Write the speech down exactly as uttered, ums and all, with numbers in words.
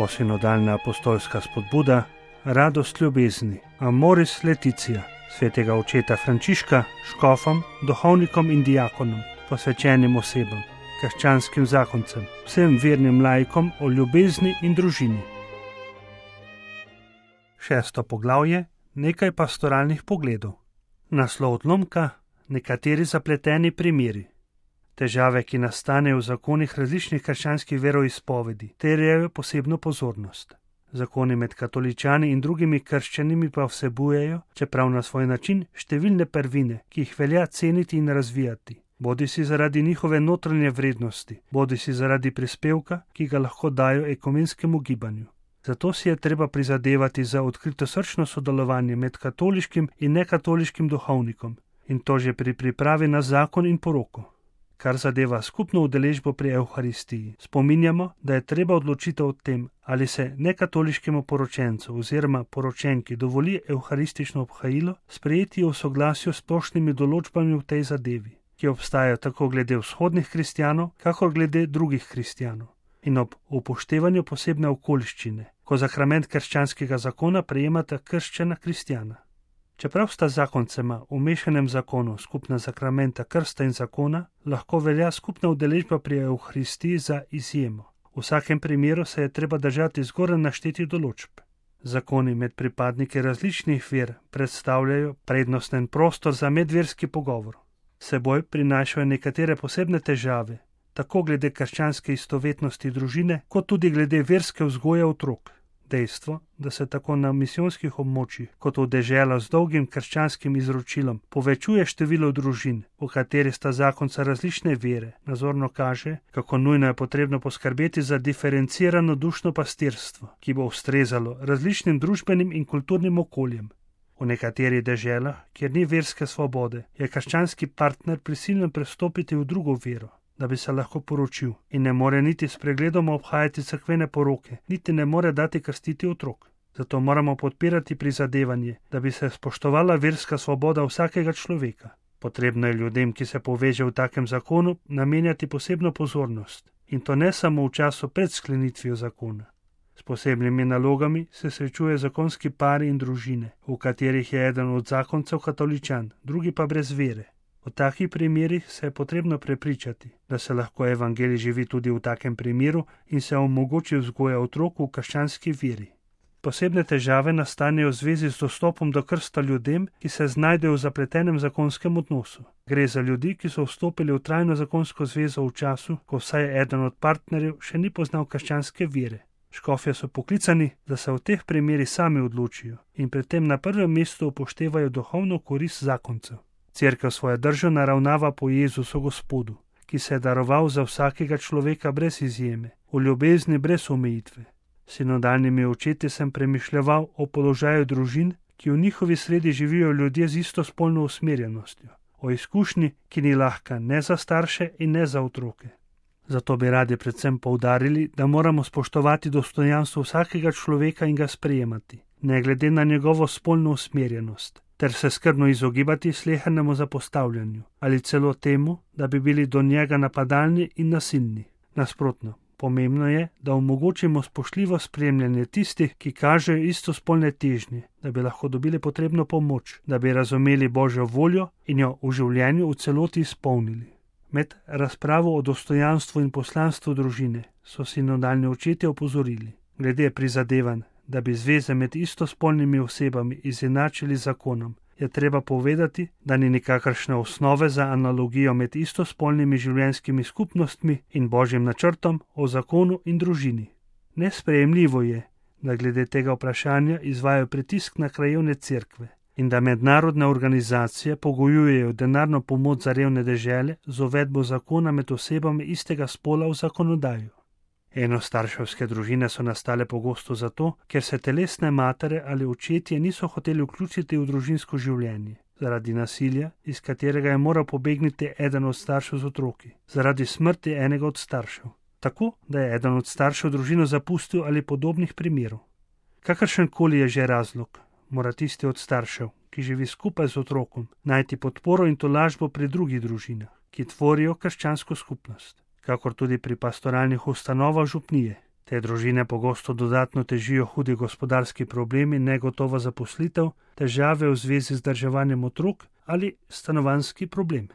Novosinodalna apostolska spodbuda, radost ljubezni, Amoris Laetitia, svetega očeta Frančiška, škofom, duhovnikom in diakonom, posvečenim osebam, krščanskim zakoncem, vsem vernim laikom o ljubezni in družini. Šesto poglavje, nekaj pastoralnih pogledov. Naslov odlomka, nekateri zapleteni primeri. Težave, ki nastanejo v zakonih različnih krščanskih veroizpovedi, terjajo posebno pozornost. Zakoni med katoličani in drugimi krščanimi pa vsebujejo, čeprav na svoj način, številne prvine, ki jih velja ceniti in razvijati, bodisi zaradi njihove notranje vrednosti, bodisi zaradi prispevka, ki ga lahko dajo ekumenskemu gibanju. Zato si je treba prizadevati za odkritosrčno sodelovanje med katoliškim in nekatoliškim duhovnikom, in to že pri pripravi na zakon in poroko. Kar zadeva skupno udeležbo pri Evharistiji, spominjamo, da je treba odločitev o tem, ali se nekatoliškemu poročencu oziroma poročenki dovoli evharistično obhajilo, sprejeti v soglasju s splošnimi določbami v tej zadevi, ki obstajajo tako glede vzhodnih kristjanov, kakor glede drugih kristjanov, in ob upoštevanju posebne okoliščine, ko sakrament krščanskega zakona prejemata krščana kristjana. Čeprav sta zakoncema v mešanem zakonu skupna sakramenta krsta in zakona, lahko velja skupna udeležba pri Evharistiji za izjemo. V vsakem primeru se je treba držati zgoraj naštetih določb. Zakoni med pripadniki različnih ver predstavljajo prednosten prostor za medverski pogovor. Seboj prinašajo nekatere posebne težave, tako glede krščanske istovetnosti družine, kot tudi glede verske vzgoje otrok. Dejstvo, da se tako na misijonskih območjih kot v deželah z dolgim krščanskim izročilom povečuje število družin, v kateri sta zakonca različne vere, nazorno kaže, kako nujno je potrebno poskrbeti za diferencirano dušno pastirstvo, ki bo ustrezalo različnim družbenim in kulturnim okoljem. V nekaterih deželah, kjer ni verske svobode, je krščanski partner prisiljen prestopiti v drugo vero, da bi se lahko poročil, in ne more niti s pregledom obhajati cerkvene poroke, niti ne more dati krstiti otrok. Zato moramo podpirati prizadevanje, da bi se spoštovala verska svoboda vsakega človeka. Potrebno je ljudem, ki se poveže v takem zakonu, namenjati posebno pozornost, in to ne samo v času pred sklenitvijo zakona. S posebnimi nalogami se srečuje zakonski pari in družine, v katerih je eden od zakoncev katoličan, drugi pa brez vere. V takih primerih se je potrebno prepričati, da se lahko evangelij živi tudi v takem primeru in se omogoči vzgoja otrok v krščanski veri. Posebne težave nastanejo v zvezi z dostopom do krsta ljudem, ki se znajdejo v zapletenem zakonskem odnosu. Gre za ljudi, ki so vstopili v trajno zakonsko zvezo v času, ko vsaj eden od partnerjev še ni poznal krščanske vere. Škofje so poklicani, da se v teh primerih sami odločijo in pri tem na prvem mestu upoštevajo duhovno korist zakoncev. Cerkev svojo držo naravnava po Jezusu Gospodu, ki se je daroval za vsakega človeka brez izjeme, v ljubezni brez omejitve. S sinodalnimi očeti sem premišljeval o položaju družin, ki v njihovi sredi živijo ljudje z istospolno usmerjenostjo, o izkušnji, ki ni lahka ne za starše in ne za otroke. Zato bi radi predvsem poudarili, da moramo spoštovati dostojanstvo vsakega človeka in ga sprejemati, ne glede na njegovo spolno usmerjenost, ter se skrbno izogibati slehernemu zapostavljanju ali celo temu, da bi bili do njega napadalni in nasilni. Nasprotno, pomembno je, da omogočimo spoštljivo spremljanje tistih, ki kažejo istospolne težnje, da bi lahko dobili potrebno pomoč, da bi razumeli Božjo voljo in jo v življenju v celoti izpolnili. Med razpravo o dostojanstvu in poslanstvu družine so sinodalni očetje opozorili, glede prizadevanj, da bi zveze med istospolnimi osebami izenačili zakonom, je treba povedati, da ni nikakršne osnove za analogijo med istospolnimi življenjskimi skupnostmi in Božjim načrtom o zakonu in družini. Nesprejemljivo je, da glede tega vprašanja izvajajo pritisk na krajevne cerkve in da mednarodne organizacije pogojujejo denarno pomoč za revne dežele z uvedbo zakona med osebami istega spola v zakonodajo. Enostarševske družine so nastale pogosto zato, ker se telesne matere ali očetje niso hoteli vključiti v družinsko življenje, zaradi nasilja, iz katerega je moral pobegniti eden od staršev z otroki, zaradi smrti enega od staršev, tako da je eden od staršev družino zapustil ali podobnih primerov. Kakršenkoli je že razlog, mora tisti od staršev, ki živi skupaj z otrokom, najti podporo in tolažbo pri drugih družinah, ki tvorijo krščansko skupnost, kakor tudi pri pastoralnih ustanovah župnije. Te družine pogosto dodatno težijo hudi gospodarski problemi, negotova zaposlitev, težave v zvezi z vzdrževanjem otrok ali stanovanjski problem.